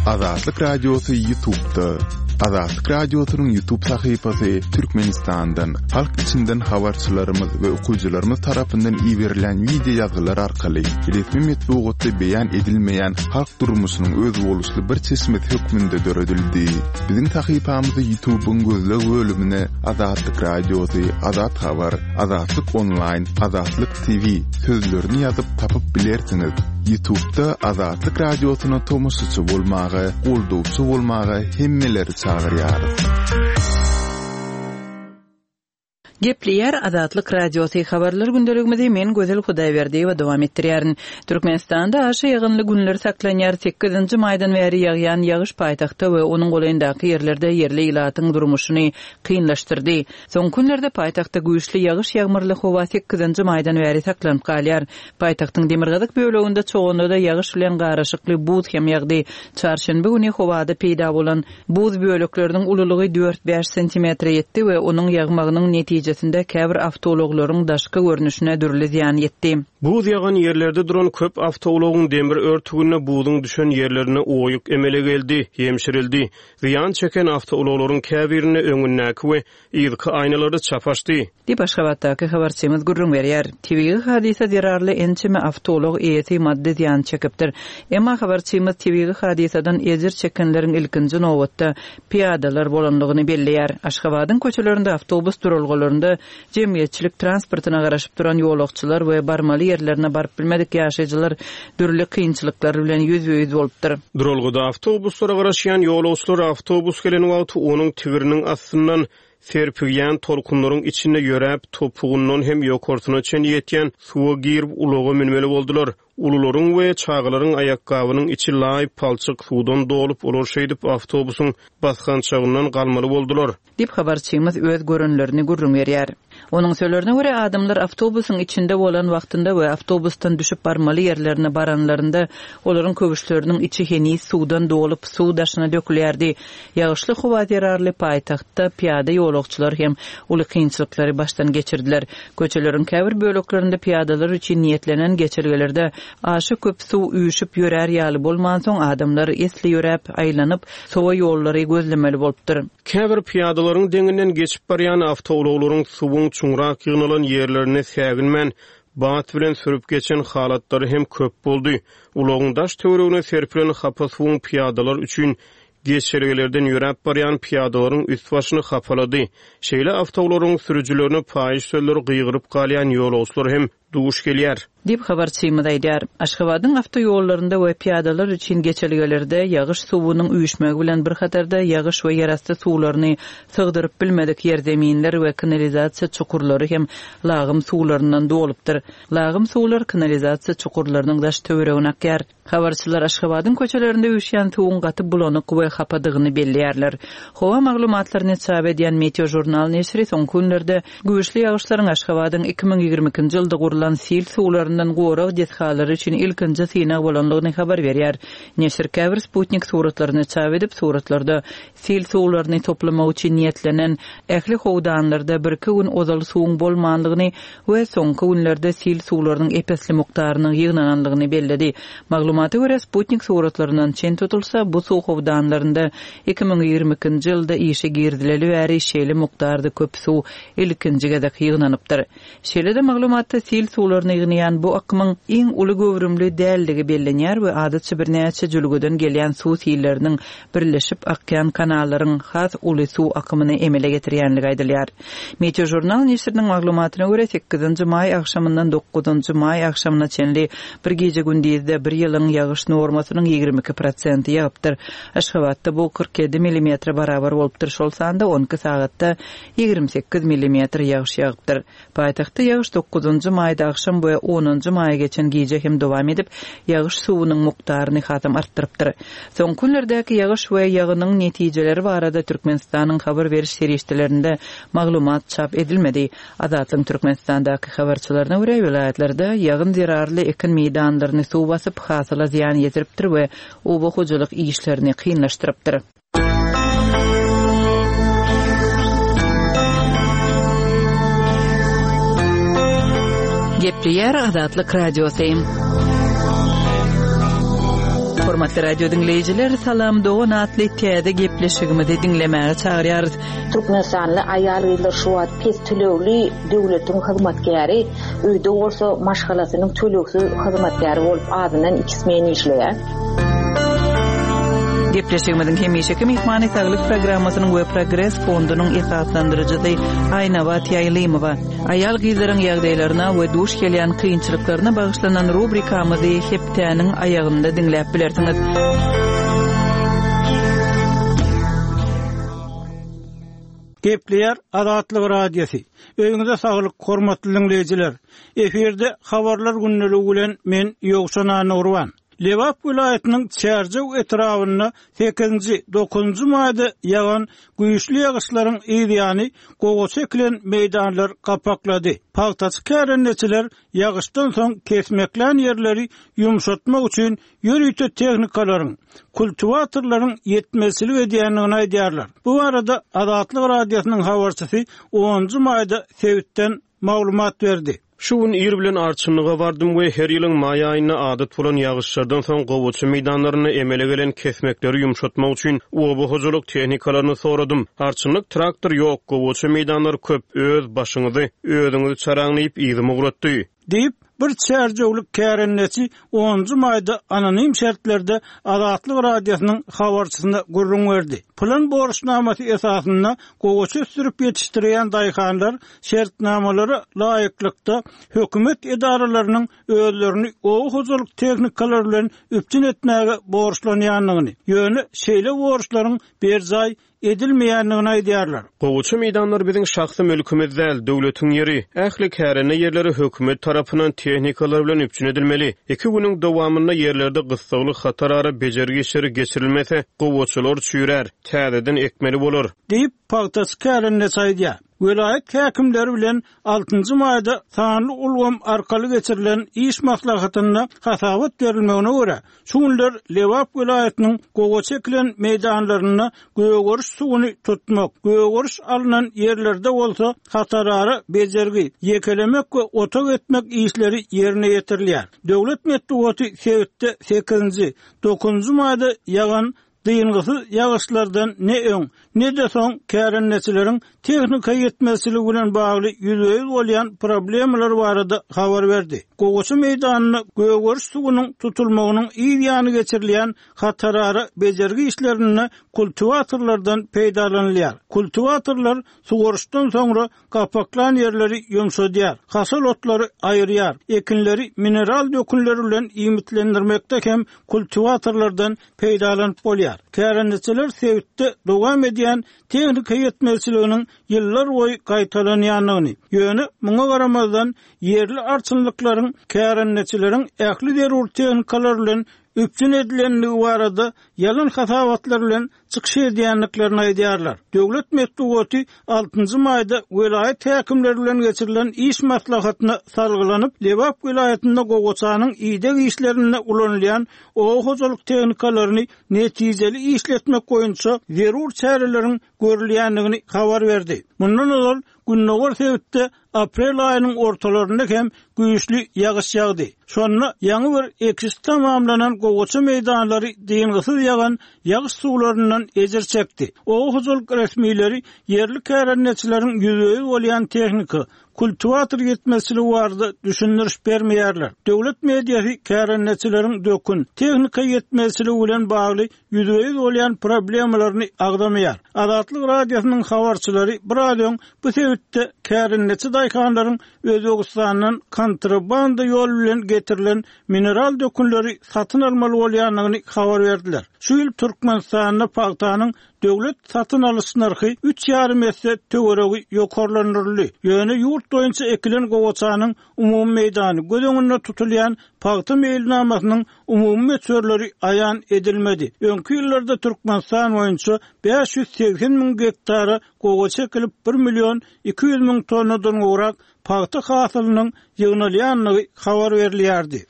Azatlyk Radiosy Ýutubda. Azatlyk Radiosynyň Ýutub sahypasy Türkmenistandan, halk içinden habarçylarymyz we okyjylarymyz tarapyndan iberilen wideo ýazgylar arkaly resmi metbugatda beýan edilmeýän halk durmuşynyň özboluşly bir çeşmesi hökmünde döredildi. Biziň sahypamyzy Ýutubyň gözleg bölümine Azatlyk Radiosy, Azat Habar, Azatlyk Onlaýn, Azatlyk TV sözlerini ýazyp tapyp bilersiňiz. Ýutubda Azatlyk Radiosyna tomaşaçy bolmaga, goldawçy bolmaga hemmeleri çagyrýarys. Gepleýär Azatlyk Radiosy, Habarlar gündeligimizi men Gözel Hudaýberdiýewa dowam etdirýärin. Türkmenistanda aşa ýagynly günler saklanýar, sekizinji maýdan bäri ýagýan ýagyş paýtagtda we onuň golaýyndaky ýerlerde ýerli ilatyň durmuşyny kynlaşdyrdy. Soňky günlerde paýtagtda güýçli ýagyş-ýagmyrly howa sekizinji maýdan bäri saklanyp galýar. Paýtagtyň demirgazyk böleginde Çoganda-da ýagyş bilen garyşykly buz hem ýagdy. Çarşenbe güni howada peýda bolan buz bölekleriniň ululygy dört-bäş sentimetre ýetdi we onuň ýagmagynyň netijesinde käbir awtoulaglaryň daşky görnüşine dürli zyýan ýetdi. Buz ýagan ýerlerde duran köp awtoulagyň demir örtüginde buzuň düşen ýerlerinde oýuk emele geldi, ýemşirildi. Zyýan çeken awtoulaglaryň käbirinde öňündäki we yzky aýnalary çap açdy. Diýip, Aşgabatdaky habarçymyz gürrüň berýär. Tebigy hadysa zerarly ençeme awtoulag eýesi maddy zyýan çekipdir. Emma habarçymyz tebigy hadysadan ejir çekenleriň ilkinji nobatda pyýadalar bolandygyny belleýär. Aşgabadyň köçelerinde awtobus duralgalarynda jemgyýetçilik transportyna garaşyp duran ýolagçylar we barmaly ýerlerine baryp bilmedik ýaşaýjylar dürli kynçylyklar bilen ýüzbe-ýüz bolupdyr. Duralgada awtobuslara garaşýan ýolagçylar awtobus gelen wagty onuň tigiriniň astyndan serpigýän tolkunlaryň içinde ýöräp, topugyndan hem ýokarsyna çenli ýetýän suwa girip ulaga münmeli boldular. Ulularyň we çagalaryň aýakgabynyň içi laý palçyk suwdan dolup, olar şeýdip awtobusyň basgançagyndan galmaly boldular. Diýip, habarçymyz öz görenlerini gürrüň berýär. Onuň sözlerine görä, adamlar awtobusyň içinde bolan wagtynda we awtobusdan düşüp barmaly ýerlerine baranlarynda, olaryň köwüşleriniň içi heniz suwdan dolup, suw daşyna dökülýärdi. Ýagyşly howa zerarly paýtagtda pyýada ýolagçylar hem uly kynçylyklary başdan geçirdiler. Köçeleriň käbir böleklerinde pyýadalar üçin niýetlenen geçelgelerde aşa köp suw üýşüp ýörär ýaly bolmansoň, adamlar esli ýöräp, aýlanyp, sowa ýollary gözlemeli bolupdyr. Käbir pyýadalaryň deňinden geçip barýan awtoulaglaryň suwuň çuňrak ýygnalan ýerlerinde säginmän, bat bilen sürüp geçen halatlary hem köp boldy. Ulagyň daş-töweregine serpilen hapa suwuň pyýadalar üçin geçelgelerden ýöräp barýan pyýadalaryň üst-başyny hapalady. Şeýle awtoularyň sürüjilerine paýyş sözleri gygyryp galýan ýolagçylar hem duş gelýär. Diýip, habarçymyz aýdýar. Aşgabadyň awtoýollarynda we pyýadalar üçin geçelgelerde ýagyş suwunyň üýşmegi bilen bir hatarda ýagyş we ýerasty suwlaryny sygdyryp bilmedik ýerzeminler we kanalizasiýa çukurlary hem lagym suwlaryndan dolupdyr. Lagym suwlar kanalizasiýa çukurlarynyň daş-töweregine akýar. Habarçylar Aşgabadyň köçelerinde üýşýän suwuň gaty bulanyk we hapadygyny belleýärler. Howa maglumatlaryny çap edýän Meteožurnal neşiri soňky günlerde güýçli ýagyşlaryň Aşgabadyň 2022-nji ýylda gurlan sil suwlaryndan gorag desgalary üçin ilkinji synag bolandygyny habar berýär. Neşir käbir sputnik suratlaryny çap edip, suratlarda sil suwlaryny toplamak üçin niýetlenen ähli howdanlarda birki gün ozal suwuň bolmandygyny we soňky günlerde sil suwlarynyň ep-esli mukdarynyň ýygnanandygyny belledi. Maglumata görä, sputnik suratlaryndan çen tutulsa, bu suw howdanlarynda 2022-nji ýylda işe girizileli bäri şeýle mukdarda köp suw ilkinji gezek ýygnanypdyr. Şeýle-de maglumatda sil suwlaryny ýygnaýan bu akymyň iň uly göwrümli däldigi bellenýär we adatça birnäçe jülgeden gelýän suw silleriniň birleşip akýan kanallaryň has uly suw akymyny emele getirýänligi aýdylýar. Meteožurnal neşiriniň maglumatyna görä, sekizinji maý agşamyndan dokuzynjy maý agşamyna çenli bir gije-gündizde bir ýylyň ýagyş normasynyň 22 prosenti ýagypdyr. Aşgabatda bu 47 millimetre barabar bolupdyr, şol sanda on iki sagatda 28 millimetr ýagyş ýagypdyr. Paýtagtda ýagyş dokuzynjy maýda agşam we onunjy maýa geçen gije hem dowam edip, ýagyş suwunyň mukdaryny hasam artdyrypdyr. Soňky günlerdäki ýagyş we ýagynyň netijeleri barada Türkmenistanyň habar beriş serişdelerinde maglumat çap edilmedi. Azatlygyň Türkmenistandaky habarçylaryna görä, welaýatlarda ýagyn zerarly ekin meýdanlaryny suw basyp, hasyla zyýan ýetiripdir we oba hojalyk işlerini kynlaşdyrypdyr. Gepleýär Azatlyk Radiosy. Hormatly radio diňleýjiler, Salam dogan atly täze gepleşigimizi diňlemäge çagyrýarys. Türkmenistanly aýal-gyzlar şu wagt pes tölegli döwletiň hyzmatkäri, öýde bolsa maşgalasynyň tölegsiz hyzmatkäri bolup azyndan iki smen işleýär. Gepleşigimiziň hemişeki myhmany Saglyk programmasynyň we Progres fondunyň esaslandyryjysy Aýnabat Ýaýlymowa. Aýal-gyzlaryň ýagdaýlaryna we duş gelýän kynçylyklaryna bagyşlanan rubrikamyzy hepdäniň aýagynda diňläp bilersiňiz. Gepleýär Azatlyk Radiosy. Öýüňize saglyk, hormatly diňleýjiler! Efirde Habarlar gündeligi bilen men Ýowşan Annagurban. Lebap welaýatynyň Çärjew etrabynda sekizinji, dokuzynjy maýda ýagan güýçli ýagyşlaryň yz ýany gowaça ekilen meýdanlar gapaklady. Pagtaçy kärendeçiler ýagyşdan soň kesmeklän ýerleri ýumşatmak üçin ýörite tehnikalaryň, kultiwatorlaryň ýetmezçilik edýändigini aýdýarlar. Bu barada Azatlyk Radiosynyň habarçysy onunjy maýda sebitden maglumat berdi. Şu gün ir bilen arçynlyga bardym we her ýylyň maý aýynda adat bolan ýagyşlardan soň gowaça meýdanlarynda emele gelen kesmekleri ýumşatmak üçin oba hojalyk tehnikalaryny soradym. Arçynlyk traktor ýok, gowaça meýdanlar köp, öz başyňyzy özüňiz çaraň diýip yzyma ugratdy. Diýip, bir çärjewli kärendeçi onunjy maýda anonim şertlerde Azatlyk Radiosynyň habarçysyna gürrüň berdi. Pylan borçnamasy esasynda gowaça ösdürip ýetişdirýän daýhanlar şertnamalara laýyklykda hökümet edaralarynyň özlerini oba hojalyk tehnikalary bilen üpjün etmäge borçlanýandygyny, ýöne şeýle borçlaryň berjaý edilmeýändigini aýdýarlar. Gowaça meýdanlary biziň şahsy mülkümiz däl, döwletiň ýeri. Ähli kärende ýerleri hökümet tarapyndan tehnikalar bilen üpjün edilmeli. Iki günüň dowamynda ýerlerde gyssagly hatarara bejergi işleri geçirilmese, gowaçalar çüýrär, täzeden ekmeli bolar. Diýip, pagtaçy kärendeçi aýdýar. Welaýat häkimleri bilen altynjy maýda sanly ulgam arkaly geçirilen iş maslahatynda hasabat berilmegine görä, şu günler Lebap welaýatynyň gowaça ekilen meýdanlarynda gögeriş suwuny tutmak, gögeriş alnan ýerlerde bolsa hatarara bejergi, ýekelemek we otag etmek işleri ýerine ýetirilýär. Döwlet metbugaty sebitde sekizinji, dokuzynjy maýda ýagan Dyngysyz ýagyşlardan ne öň, ne-de soň kärendeçileriň tehnika ýetmezçiligi bilen bagly ýüzbe-ýüz bolýan problemalar barada habar berdi. Gowaça meýdanynda gögeriş suwunyň tutulmagynyň yz ýany geçirilýän hatarara bejergi işlerinde kultiwatorlardan peýdalanylýar. Kultiwatorlar suwaryşdan soňra Gapaklan ýerleri ýumşadýar, haşal otlary aýyrýar, ekinleri mineral dökünler bilen iýmitlendirmekde hem kultiwatorlardan peýdalanyp bolýar. Kärendeçiler sebitde dowam edýän tehnika ýetmezçiliginiň ýyllarboýy gaýtalanýandygyny, ýöne muňa garamazdan ýerli arçynlyklaryň kärendeçileriň ähli zerur tehnikalar bilen üpjün edilendigi barada ýalan hasabatlar bilen çykyş edýändiklerini aýdýarlar. Döwlet metbugaty altynjy maýda welaýat häkimleri bilen geçirilen iş maslahatyna salgylanyp, Lebap welaýatynda gowaçanyň ideg işlerinde ulanylýan oba hojalyk tehnikalaryny netijeli işletmek boýunça zerur çäreleriň görülýändigini habar berdi. Mundan ozal, gündogar sebitde aprel aýynyň ortalarynda hem güýçli ýagyş ýagdy. Şonda ýaňy bir ekiş tamamlanan gowaça meýdanlary dyngysyz ýagan ýagyş suwlaryndan ejir çekdi. Oba hojalyk resmileri ýerli kärendeçileriň ýüzbe-ýüz bolýan tehnika, kultiwator ýetmezçiligi barada düşündiriş bermeýärler. Döwlet mediasy kärendeçileriň dökün, tehnika ýetmezçiligi bilen bagly ýüzbe-ýüz bolýan problemalaryny agzamaýar. Azatlyk Radiosynyň habarçylary biraz öň bu sebitde kärendeçi daýhanlaryň Özbegistandan kontrabanda ýol bilen getirilen mineral dökünleri satyn almaly bolýandygyny habar berdiler. Şu ýyl Türkmenistanda pagtanyň döwlet satyn alyş nyrhy üç ýarym esse töweregi ýokarlandyryldy. Ýöne ýurt boýunça ekilen gowaçanyň umumy meýdany göz öňünde tutulýan pagta meýilnamasynyň umumy möçberleri aýan edilmedi. Öňki ýyllarda Türkmenistan boýunça 580 müň gektara gowaça ekilip, bir million 200 müň tonnadan gowrak pagta hasylynyň ýygnalýandygy habar berilýärdi.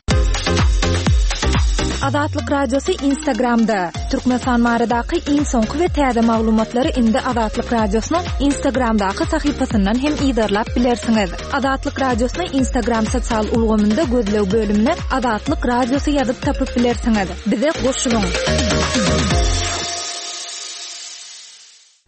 Azatlyk Radiosy Instagramda! Türkmenistan baradaky iň soňky we täze maglumatlary indi Azatlyk Radiosynyň Instagramdaky sahypasyndan hem yzarlap bilersiňiz. Azatlyk Radiosyny Instagram sosial ulgamynda gözleg bölümine Azatlyk Radiosy ýazyp tapyp bilersiňiz. Bize goşulyň!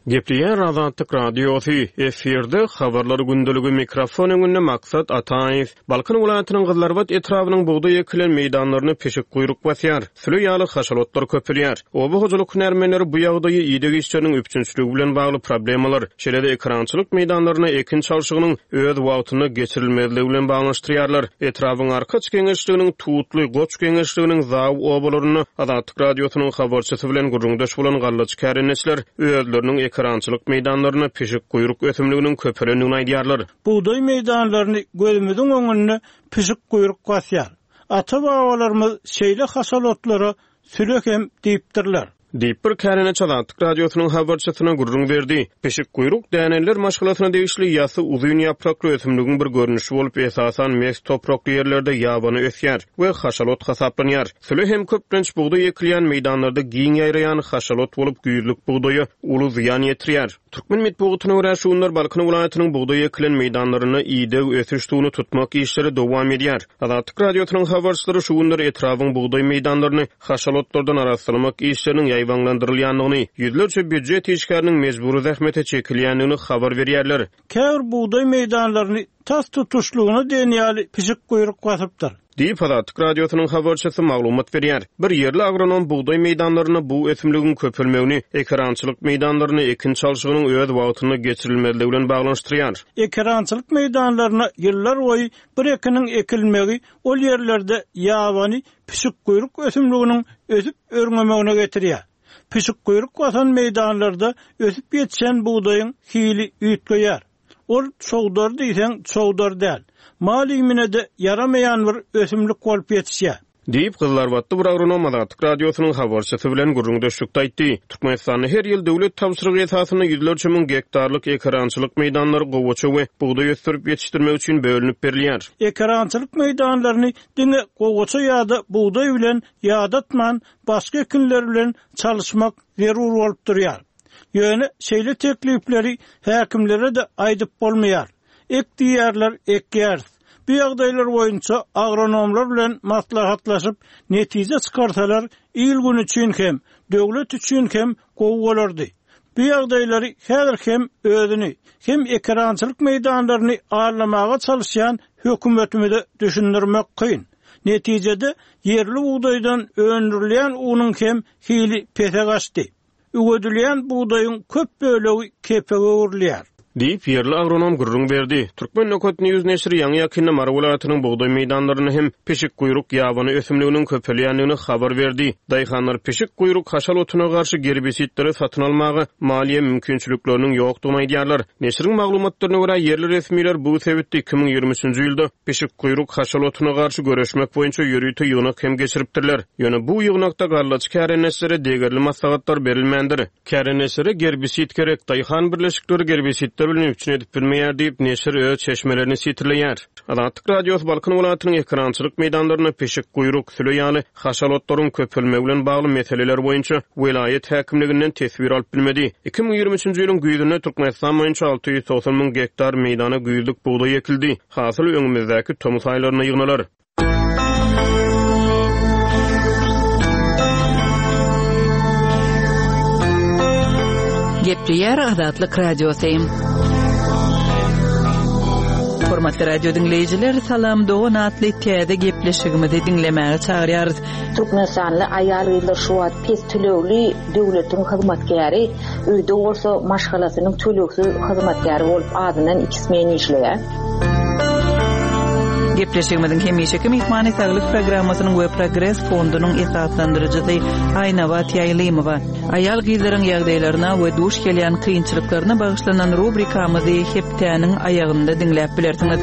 Gepleýär Azatlyk Radiosy, efirde Habarlar gündeligi mikrofon öňünde Maksat Ataýew. Balkan welaýatynyň Gyzylarbat etrabynyň bugdaý ekilen meýdanlaryny pişik guýruk basýar, süle ýaly haşal otlar köpelýär. Oba hojalyk hünärmenleri bu ýagdaýy ideg işleriniň üpjünçiligi bilen bagly problemalar, şeýle-de ekerançylyk meýdanlarynda ekin çalşygynyň öz wagtynda geçirilmezligi bilen baglanyşdyrýarlar. Etrabyň Arkaç geňeşliginiň Tutly, Goç geňeşliginiň Zaw obalarynda Azatlyk Radiosynyň habarçysy bilen gürrüňdeş bolan gallaçy kärendeçiler özleriniň ekerançylyk meýdanlarynda pişikguýruk ösümliginiň köpelendigini aýdýarlar. Bugdaý meýdanlaryny gözümiziň öňünde pişikguýruk basýar. Ata-babalarymyz şeýle haşal otlara süle hem diýipdirler. Diýip, bir kärendeçi Azatlyk Radiosynyň habarçysyna gürrüň berdi. Pişikguýruk däneliler maşgalasyna degişli ýasy uzyn ýaprakly ösümligiň bir görnüşi bolup, esasan mes toprakly ýerlerde ýabany ösýär we haşal ot hasaplanýar. Süle hem köplenç bugdaý ekilýän meýdanlarda giň ýaýraýan haşal ot bolup, güýzlük bugdaýa uly zyýan ýetirýär. Türkmen metbugatyna görä, şu günler Balkan welaýatynyň bugdaý ekilen meýdanlarynda ideg, ösüş suwuny tutmak işleri dowam edýär. Azatlyk Radiosynyň habarçylary şu günler etrabyň bugdaý meýdanlaryny haşal otlardan arassalamak işleriniň ýaýbaňlandyrylýandygyny, ýüzlerçe býujet işgäriniň mejbury zähmete çekilýändigini habar berýärler. Käbir bugdaý meýdanlaryny tas tutuşlygyna diýen ýaly pişik guýruk basypdyr. Diýip, Azatlyk Radiosynyň habarçysy maglumat berýär. Bir ýerli agronom bugdaý meýdanlarynda bu ösümligiň köpelmegini ekerançylyk meýdanlarynda ekin çalşygynyň öz wagtynda geçirilmezligi bilen baglanyşdyrýar. Ekerançylyk meýdanlaryna ýyllarboýy bir ekiniň ekilmegi ol ýerlerde ýabany pişikguýruk ösümliginiň ösüp-örňemegine getirýär. Pişikguýruk basan meýdanlarda ösüp ýetişen bugdaýyň hili üýtgeýär. Ol çowdar diýseň çowdar däl, mal iýmine-de ýaramaýan bir ösümlik bolup ýetişýär. Diýip, gyzylarbatly bir agronom Azatlyk Radiosynyň habarçysy bilen gürrüňdeşlikde aýtdy. Türkmenistanda her ýyl döwlet tabşyrygy esasynda ýüzlerçe müň gektarlyk ekerançylyk meýdanlary gowaça we bugdaý ösdürip ýetişdirmek üçin bölünip berilýär. Ekerançylyk meýdanlaryny diňe gowaça ýa-da bugdaý bilen ýadatman, başga ekinler bilen çalyşmak zerur bolup durýar. Ýöne şeýle teklipleri häkimlere-de aýdyp bolmaýar. Ek diýýärler, ekýäris. Bu ýagdaýlar boýunça agronomlar bilen maslahatlaşyp, netije çykarsalar, il-gün üçin hem, döwlet üçin hem gowy bolardy. Bu ýagdaýlary häzir hem özüni, hem ekerançylyk meýdanlaryny aldamaga çalyşýan hökümetimize düşündirmek kyn. Netijede, ýerli bugdaýdan öndürilýän unuň hem hili pese gaçdy. Üwedilýän bugdaýyň köp bölegi kepege öwrülýär. Diýip, ýerli agronom gürrüň berdi. Turkmen. News neşiri ýaňy-ýakynda Mary welaýatynyň bugdaý meýdanlarynda hem pişikguýruk ýabany ösümliginiň köpelýändigini habar berdi. Daýhanlar pişikguýruk haşal otuna garşy gerbisidleri satyn almaga maliýe mümkinçilikleriniň ýokdugyny aýdýarlar. Neşiriň maglumatlaryna görä, ýerli resmiler bu sebitde 2023-nji ýylda pişikguýruk haşal otuna garşy göreşmek boýunça ýörite ýygnak hem geçiripdirler. Ýöne bu ýygnakda gallaçy kärendeçilere degerli maslahatlar berilmändir. Kärendeçilere gerbisid gerek, daýhan birleşikleri gerbisidler bilen üpjün edip bilmeýär diýip, neşir öz çeşmelerini sitirleýär. Azatlyk Radiosy Balkan welaýatynyň ekerançylyk meýdanlarynda pişikguýruk, süle ýaly haşal otlaryň köpelmegi bilen bagly meseleler boýunça welaýat häkimliginden teswir alyp bilmedi. 2023-nji ýylyň güýzünde Türkmenistan boýunça 690 müň gektar meýdana güýzlük bugdaý ekildi. Hasyl öňümizdäki tomus aýlarynda ýygnalar. Gepleýär Azatlyk Radiosy. Hormatly radio diňleýjiler, Salam dogan atly täze gepleşigimizi diňlemäge çagyrýarys. Türkmenistanly aýal-gyzlar şu wagt pes tölegli döwletiň hyzmatkäri, öýde bolsa maşgalasynyň tölegsiz hyzmatkäri bolup azyndan iki smen işleýär. Gepleşigimiziň hemişeki myhmany Saglyk programmasynyň we Progres fondunyň esaslandyryjysy Aýnabat Ýaýlymowa. Aýal-gyzlaryň ýagdaýlaryna we duş gelýän kynçylyklaryna bagyşlanan rubrikamyzy hepdäniň aýagynda diňläp bilersiňiz.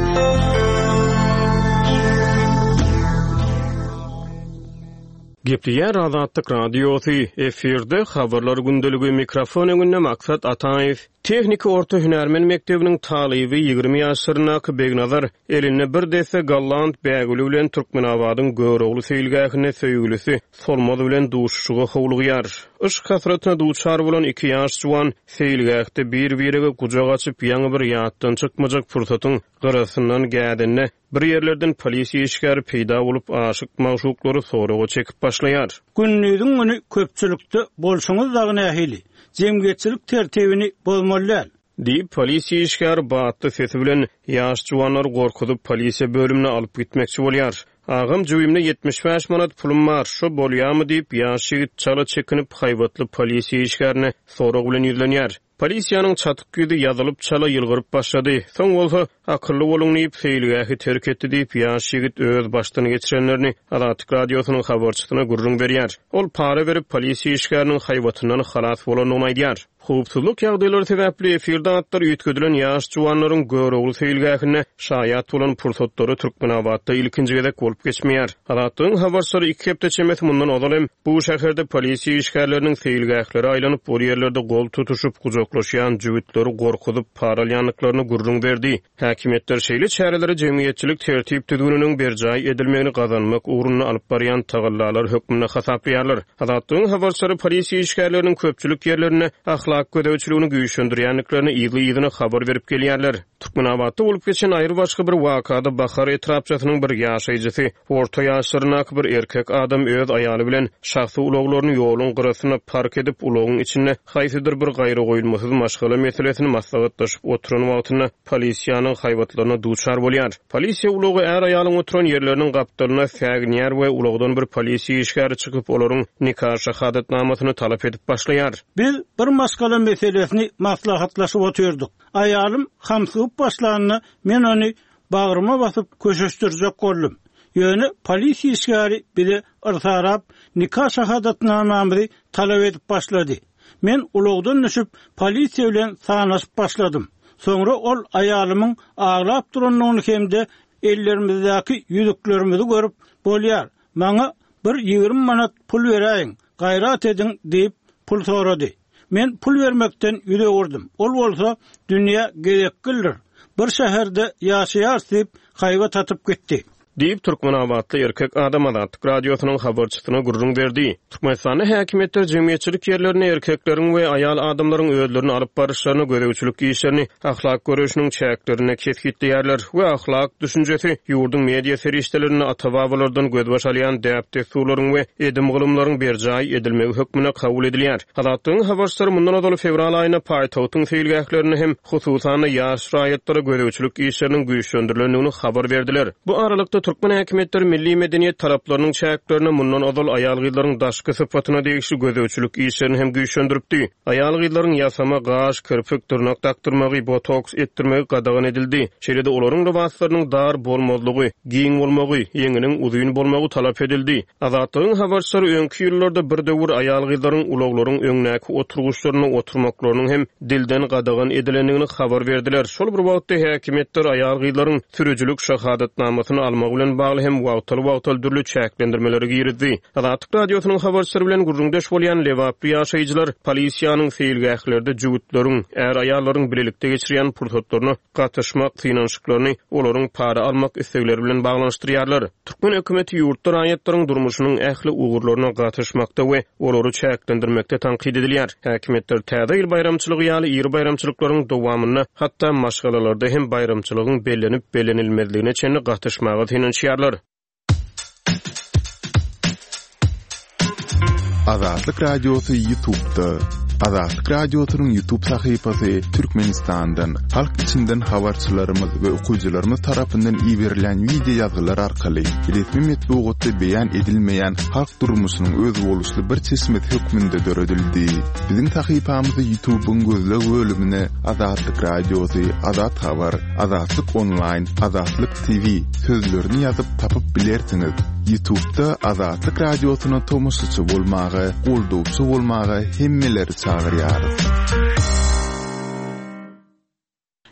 Gepleýär Azatlyk Radiosy, efirde Habarlar gündeligi, mikrofon öňünde Maksat Ataýew. Tehniki orta hünärmen mekdebiniň talyby 20 ýaşlaryndaky Begnazar elinde bir desse golland bägüli bilen Türkmenabadyň Görogly seýilgähinde söýgülisi Solmaz bilen duşuşyga howlugýar. Yşk hasratyna duçar bolan iki ýaş juwan seýilgähde bir-birege gujak açyp ýaňy bir ýatdan çykmajak pursatyň gyrasyndan gädende Bir ýerlerden polisiýa işgäri peýda bolup, aşyk-magşuklary soraga çekip başlaýar. Gündiziň güni köpçülikde bolşuňyz dagy nähili? Jemgyýetçilik tertibini bozmaly däl. Diýip, polisiýa işgäri batly sesi bilen ýaş juwanlary gorkuzyp, polisiýa bölümine alyp gitmekçi bolýar. Agam, jübimde 75 manat pulum bar, şo bolýamy? diýip, ýaş ýigit çala çekinip, haýbatly polisiýa işgärine sorag bilen ýüzlenýär. Polisiýanyň çatyk ýüzi ýazylyp çala ýylgyryp başlady. Soň bolsa, Akylly boluň diýip, seýilgähi terk etdi diýip, ýaş ýigit öz başdan geçirenlerini Azatlyk Radiosynyň habarçysyna gürrüň berýär. Ol para berip, polisiýa işgäriniň haýbatyndan halas bolandygyny aýdýar. Howpsuzlyk ýagdaýlary sebäpli efirde atlary üýtgedilen ýaş juwanlaryň Görogly seýilgähinde şaýat bolan pursatlary Türkmenabatda ilkinji gezek bolup geçmeýär. Azatlygyň habarçylary iki hepde çemesi mundan ozal hem bu şäherde polisiýa işgärleriniň seýilgählere aýlanyp, ol ýerlerde gol tutuşyp, gujaklaşýan jübütleri gorkuzyp, para alýandyklaryny gürrüň berdi. Häkimiýetler şeýle çäreleri jemgyýetçilik tertip-düzgüniniň berjaý edilmegini gazanmak ugrunda alyp barýan tagallalar hökmünde hasaplaýarlar. Azatlygyň habarçylary polisiýa işgärleriniň köpçülik ýerlerinde ahlak gözegçiligini güýçlendirýändiklerini yzly-yzyna habar berip gelýärler. Türkmenabatda bolup geçen aýry-başga bir wakada Bahar etrapçasynyň bir ýaşaýjysy, orta ýaşlaryndaky bir erkek adam öz aýaly bilen şahsy ulaglaryny ýoluň gyrasynda park edip, ulagyň içinde haýsydyr bir gaýragoýulmasyz maşgala meselesini maslahatlaşyp oturan wagtynda polisiýanyň haýbatlaryna duçar bolýar. Polisiýa ulagy är-aýalyň oturan ýerleriniň gapdalyna säginýär we ulagdan bir polisiýa işgäri çykyp, olaryň nika şahadatnamasyny talap edip başlaýar. Biz bir maşgala meselesini maslahatlaşyp otyrdyk. Aýalym hamsygyp başlanda, men ony bagryma basyp köşeşdirjek boldum. Ýöne polisiýa işgäri bize yrsarap, nika şahadatnamamyzy talap edip başlady. Men ulagdan düşüp, polisiýa bilen sanaşyp başladym. Soňra ol aýalymyň aglap durandygyny hem-de ellerimizdäki ýüzüklerimizi görüp, Bolýar, maňa bir 20 manat pul beräýiň, gaýrat ediň diýip, pul sorady. Men pul bermekden ýüz öwürdim. Ol bolsa, Dünýä gezekgildir. Bir şäherde ýaşaýarys diýip, haýbat atyp gitdi. Diýip, türkmenabatly erkek adam Azatlyk Radiosynyň habarçysyna gürrüň berdi. Türkmenistanda häkimiýetler jemgyýetçilik ýerlerinde erkekleriň we aýal adamlaryň özlerini alyp baryşlaryna gözegçilik işlerini ahlak göreşiniň çäklerinde kesgitleýärler we ahlak düşünjesi ýurduň media serişdelerinde ata-babalardan gözbaş alýan däp-dessurlaryň we edim-gylymlaryň berjaý edilmegi hökmünde kabul edilýär. Azatlygyň habarçylary mundan ozal fewral aýynda paýtagtyň seýilgählerinde hem, hususan-da, ýaş raýatlara gözegçilik işleriniň güýçlendirilendigini habar berdiler. Bu aralykda, türkmen häkimiýetleri milli medeniýet talaplarynyň çäklerinde mundan ozal aýal-gyzlaryň daşky sypatyna degişli gözegçilik işlerini hem güýçlendiripdi. Aýal-gyzlaryň ýasama gaş, kirpik, dyrnak dakdyrmagy, botoks etdirmegi gadagan edildi. Şeýle-de olaryň lybaslarynyň dar bolmazlygy, giň bolmagy, ýeňiniň uzyn bolmagy talap edildi. Azatlygyň habarçylary öňki ýyllarda bir döwür aýal-gyzlaryň ulaglaryň öňdäki oturgyçlarynda oturmaklarynyň hem dilden gadagan edilendigini habar berdiler. Şol bir wagtda, häkimiýetler aýal-gyzlaryň sürüjilik şahadatnamasyny almagy bilen bagly hem wagtal-wagtal dürli çäklendirmeleri girizdi. Azatlyk Radiosynyň habarçylary bilen gürrüňdeş bolýan lebaply ýaşaýjylar polisiýanyň seýilgählerde jübütleriň, är-aýallaryň bilelikde geçirýän pursatlaryna gatyşmak synanyşyklaryny olaryň para almak islegleri bilen baglanyşdyrýarlar. Türkmen hökümeti ýurtda raýatlaryň durmuşynyň ähli ugurlaryna gatyşmakda we olary çäklendirmekde tankyt edilýär. Häkimiýetler Täze ýyl baýramçylygy ýaly iri baýramçylyklaryň dowamynda hatda maşgalalarda hem baýramçylygyň bellenip-bellenilmezligine çenli gatyşmaga synanyşýarlar. Azatlyk Radiosy Ýutubda. Azatlyk Radiosynyň Ýutub sahypasy Türkmenistandan, halk içinden habarçylarymyz we okyjylarymyz tarapyndan iberilen wideo ýazgylar arkaly resmi metbugatda beýan edilmeýän halk durmuşynyň özboluşly bir çeşmesi hökmünde döredildi. Biziň sahypamyzy Ýutubyň gözleg bölümine Azatlyk Radiosy, Azat Habar, Azatlyk Onlaýn, Azatlyk TV sözlerini ýazyp tapyp bilersiňiz. Ýutubda Azatlyk Radiosyna tomaşaçy bolmaga, goldawçy bolmaga hemmeleri çagyrýarys.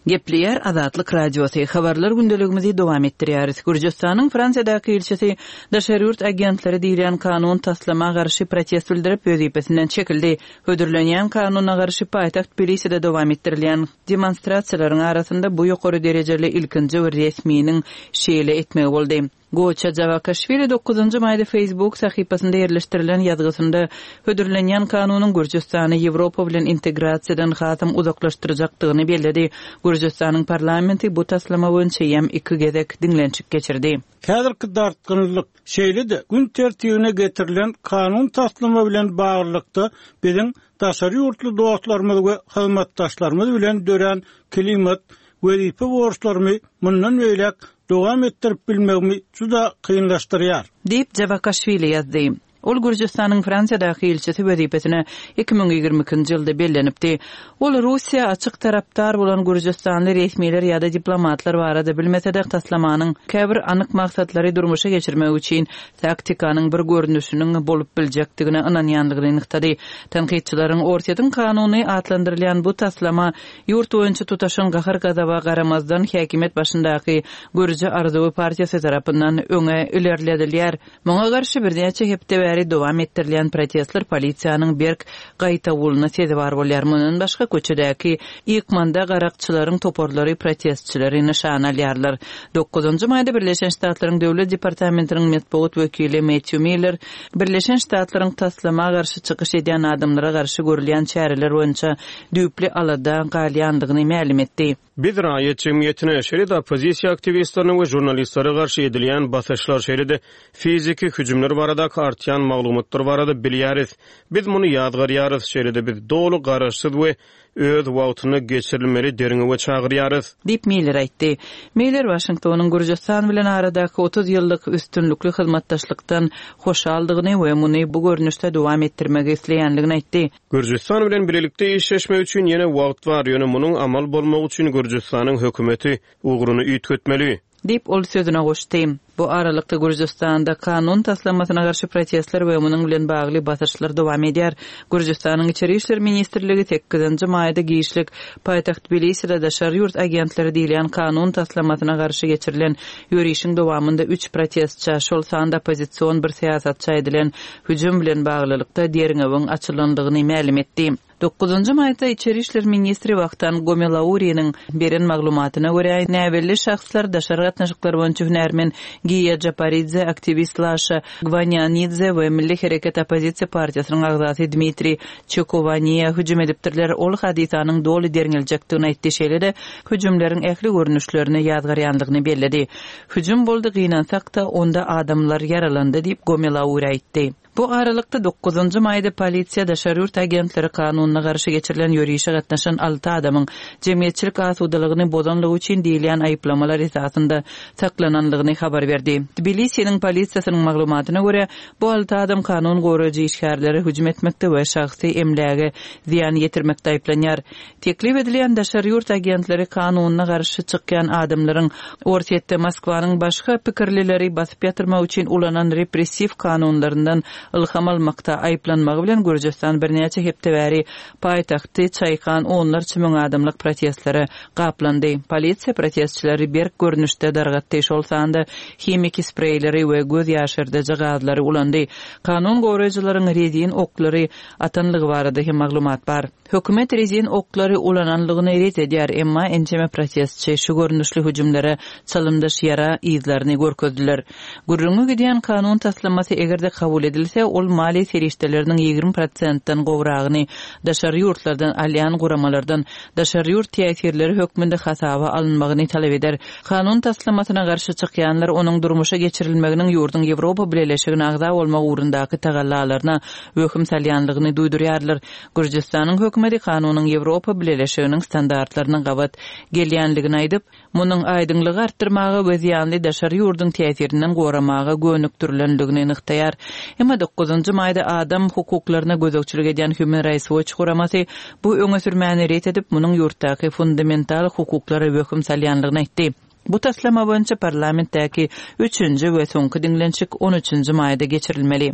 Gepleýär Azatlyk Radiosy, Habarlar gündeligimizi dowam etdirýäris. Gürjüstanyň Fransiýadaky ilçisi daşary ýurt agentleri diýilýän kanun taslama garşy protest bildirip, wezipesinden çekildi. Hödürlenýän kanuna garşy paýtagt Tbiliside dowam etdirilýän demonstrasiýalaryň arasynda bu ýokary derejeli ilkinji bir resminiň şeýle etmegi boldy. Goça Jawakaşwili dokuzynjy maýda Facebook sahypasynda ýerleşdirilen ýazgysynda hödürlenýän kanunyň Gürjüstany Ýewropa bilen integrasiýadan hasam uzaklaşdyrjakdygyny belledi. Gürjüstanyň parlamenti bu taslama boýunça eýýäm iki gezek diňlenişik geçirdi. Häzirki dartgynlylyk, şeýle-de gün tertibine getirilen kanun taslama bilen baglylykda biziň daşary ýurtly dostlarymyz we hyzmatdaşlarymyz bilen dörän klimat wezipe borçlarymy mundan beýläk dowam etdirip bilmegimi juda kynlaşdyrýar. Diýip, Jawakaşwili ýazdy. Ol Gürjüstanyň Fransiýadaky ilçisi wezipesine 2022 nji ýylda bellenipdi. Ol Russiýa açyk tarapdar bolan gürjüstanly resmiler ýa-da diplomatlar barada bilmese-de, taslamanyň käbir anyk maksatlary durmuşa geçirmek üçin taktikanyň bir görnüşiniň bolup biljekdigine ynanýandygyny nygtady. Tankytçylaryň Orsýetiň kanuny atlandyrylýan bu taslama Ýurt boýunça tutaşan gahar-gazaba garamazdan, häkimiýet başyndaky Gürji arzuwy partiýasy tarapyndan öňe ilerledilýär. Muňa garşy birnäçe hepde bäri dowam etdirilýän protestler polisiýanyň berk gaýtawulyna sezewar bolýar. Mundan başga, köçedäki ykmanda garakçylaryň toparlary protestçileri nyşana alýarlar. Dokuzynjy maýda Birleşen Ştatlaryň Döwlet departamentiniň metbugat wekili Metýu Miller Birleşen Ştatlaryň taslama garşy çykyş edýän adamlara garşy görülýän çäreler boýunça düýpli alada galýandygyny mälim etdi. Biz raýat jemgyýetine, şeýle-de oppozisiýa aktiwistlerine we žurnalistlere garşy edilýän basyşlar, şeýle-de fiziki hüjümler baradaky artýan maglumatlar barada bilýäris. Biz muny ýazgarýarys, şeýle-de biz doly, garaşsyz we öz wagtynda geçirilmeli derňewe çagyrýarys. Diýip, Miller aýtdy. Miller Waşingtonyň Gürjüstan bilen aradaky 30 ýyllyk üstünlikli hyzmatdaşlykdan hoşaldygyny we muny bu görnüşde dowam etdirmegi isleýändigini aýtdy. Gürjüstan bilen bilelikde işleşmek üçin ýene wagt bar, ýöne munuň amal bolmagy üçin Gürjüstanyň hökümeti ugruny üýtgetmeli. Diýip, ol sözüne goşdy. Bu aralykda, Gürjüstanda kanun taslamasyna garşy protestler we munuň bilen bagly basyşlar dowam edýär. Gürjüstanyň Içeri işler ministrligi sekizinji maýda giçlik paýtagt Tbiliside daşary ýurt agentleri diýilýän kanun taslamasyna garşy geçirilen ýörişiň dowamynda üç protestçä, şol sanda oppozision bir syýasatça edilen hüjüm bilen baglylykda derňewiň açylandygyny mälim etdi. Dokuzynjy maýda içeri işler ministri Wahtan Gomelauriniň beren maglumatyna görä, näbelli şahslar daşary gatnaşyklar boýunça hünärmen Giýa Japaridze, aktiwist Laşa Gwanianidze we Milli hereket oppozisiýa partiýasynyň agzasy Dmitriý Çekowaniýa hüjüm edipdirler. Ol hadysanyň doly derňeljekdigini aýtdy, şeýle-de hüjümleriň ähli görnüşlerini ýazgarýandygyny belledi. Hüjüm boldy, gynansak-da, onda adamlar ýaralandy diýip, Gomelauri aýtdy. Bu aralykda, dokuzynjy maýda polisiýa daşary ýurt agentleri kanunyna garşy geçirilen ýörişe gatnaşan alty adamyň jemgyýetçilik asudalygyny bozanlygy üçin diýilýän aýyplamalar esasynda saklananlygyny habar berdi. Tbilisiniň polisiýasynyň maglumatyna görä, bu alty adam kanun goraýjy işgärlere hüjüm etmekde we şahsy emläge zyýan ýetirmekde aýyplanýar. Teklip edilýän daşary ýurt agentleri kanunyna garşy çykýan adamlaryň Orsýetde Moskwanyň başga pikirlileri basyp ýatyrmak üçin ulanan repressiw kanunlaryndan ylham almakda aýyplanmagy bilen Gürjüstan birnäçe hepde bäri paýtagty çaýkan onlarça müň adamlyk protestlere gaplandy. Polisiýa protestçileri berk görnüşde dargatdy, şol sanda himiki spreýleri we göz ýaşardyjy gazlary ulandy. Kanun goraýjylaryň rezin oklary atanlygy barada hem maglumat bar. Hökümet rezin oklary ulananlygyny ret edýär, emma ençeme protestçi şu görnüşli hüjümlere çalymdaş ýara yzlaryny görkezdiler. Gürrüňi gidýän kanun taslamasy eger-de kabul edilse, ol maliýe serişdeleriniň 20 prosentden gowragyny daşary ýurtlardan alýan guramalardan daşary ýurt täsirleri hökmünde hasaba alynmagyny talap eder. Kanun taslamasyna garşy çykýanlar onuň durmuşa geçirilmeginiň ýurduň Ýewropa Bileleşigine agza bolmak ugrundaky tagallalaryna wehim salýanlygyny duýdurýarlar. Gürjüstanyň hökümeti kanunyň Ýewropa Bileleşiginiň standartlaryna gabat gelýänligini aýdyp, munuň aýdyňlygy artdyrmaga we zyýanly daşary ýurduň täsirinden goramaga gönükdirilendigini nygtaýar. Emma dokuzynjy maýda adam hukuklaryna gözegçilik edýän Human Rights Watch guramasy bu öňe sürmäni ret edip, munuň ýurtdaky fundamental hukuklara wehim salýanlygyny aýtdy. Bu taslama boýunça parlamentdäki üçünji we soňky diňlenişik on üçünji maýda geçirilmeli.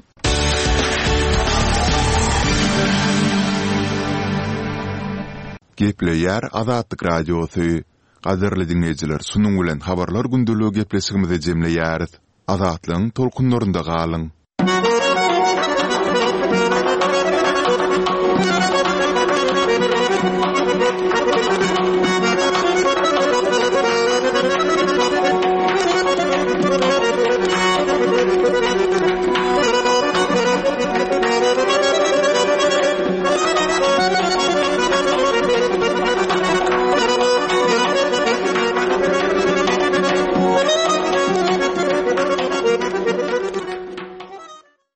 Gepleýär Azatlyk Radiosy. Gadyrly diňleýjiler, şunuň bilen Habarlar gündeligi gepleşigimizi jemleýäris. Azatlygyň tolkunlarynda galyň!